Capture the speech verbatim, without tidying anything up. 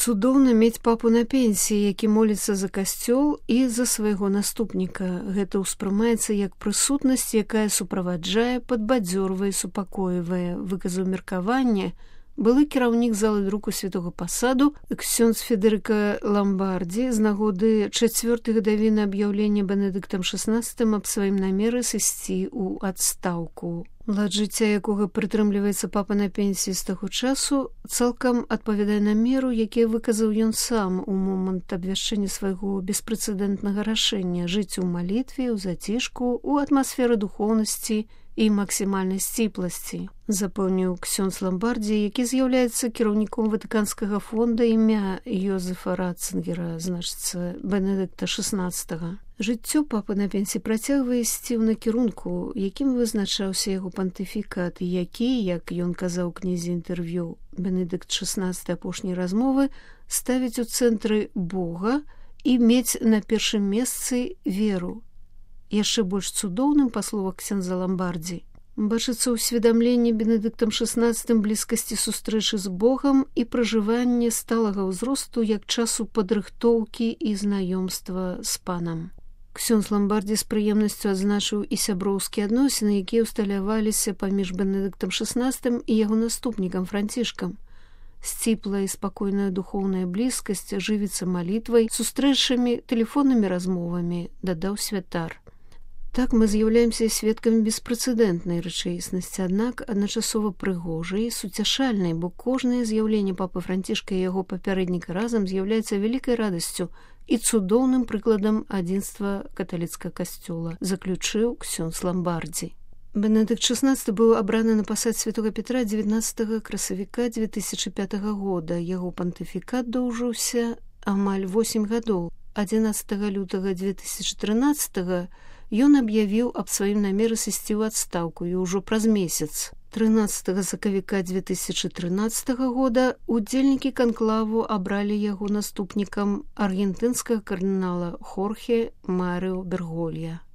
Цудоўна мець папу на пенсіі, які моліцца за касцёл і за свайго наступніка. Гэта ўспрымаецца як прысутнасць, якая суправаджае, падбадзёрвае, супакойвае, выказаў меркаванне былы кіраўнік залы друку святога пасаду ксёндз Федэрыка Ламбардзі з нагоды чацвёртай гадавіны аб'яўлення Бенедыктам шаснаццатым аб сваім намеры сысці ў адстаўку. Лад жыцця якога прытрымліваецца папа на пенсіі з таго часу, цалкам адпавядае намеру, які выказаў ён сам у момант абвяшчэння свайго беспрэцэдэнтнага рашэння жыць у малітве, у зацішку, у атмасферы духоўнасці і максімальнай сціпласці, запэўніў ксёндз Ламбардзі, які з'яўляецца кіраўніком ватыканскага фонда імя Йозефа Ратцынгера, значыцца Бенедыкта шаснаццатага. Жыццё папы на пенсіі працягвае ісці ў накірунку, якім вызначаўся яго пантыфікат, які, як ён казаў у кнізе інтэрв'ю Бенедыкт шаснаццаты апошняй размовы, ставіць у цэнтры Бога і мець на першым месцы веру. Яшчэ больш цудоўным, па словах ксяндза Ламбардзі, бачыцца ўсведамленне Бенедыктам шаснаццатым блізкасці сустрэчы з Богам і пражыванне сталага ўзросту як часу падрыхтоўкі і знаёмства з панам. Ксёндз Ламбардзі з прыемнасцю адзначыў і сяброўскія адносіны, якія ўсталяваліся паміж Бенедыктам шаснаццатым і яго наступнікам Францішкам. Сціплая і спакойная духоўная блізкасць жывіцца малітвай, сустрэчамі, тэлефоннымі размовамі, дадаў святар. Так мы з'яўляемся сведкамі беспрэцэдэнтнай рэчаіснасці, аднак адначасова прыгожай, суцяшальнай, бо кожнае з'яўленне папы Францішка і яго папярэдніка разам з'яўляецца вялікай радасцю і цудоўным прыкладам адзінства каталіцкага касцёла, заключыў ксёндз Ламбардзі. Бенедыкт шаснаццаты быў абраны на пасад святога Петра дзевятнаццатага красавіка дзве тысячы пятага года. Яго пантыфікат доўжыўся амаль восем гадоў. адзінаццатага лютага дзве тысячы трынаццатага ён аб'явіў аб сваім намеры сысці ў адстаўку і ўжо праз месяц. трынаццатага сакавіка дзве тысячы трынаццатага года удзельнікі канклаву абралі яго наступнікам аргентынскага кардынала Хорхе Марыо Берголья.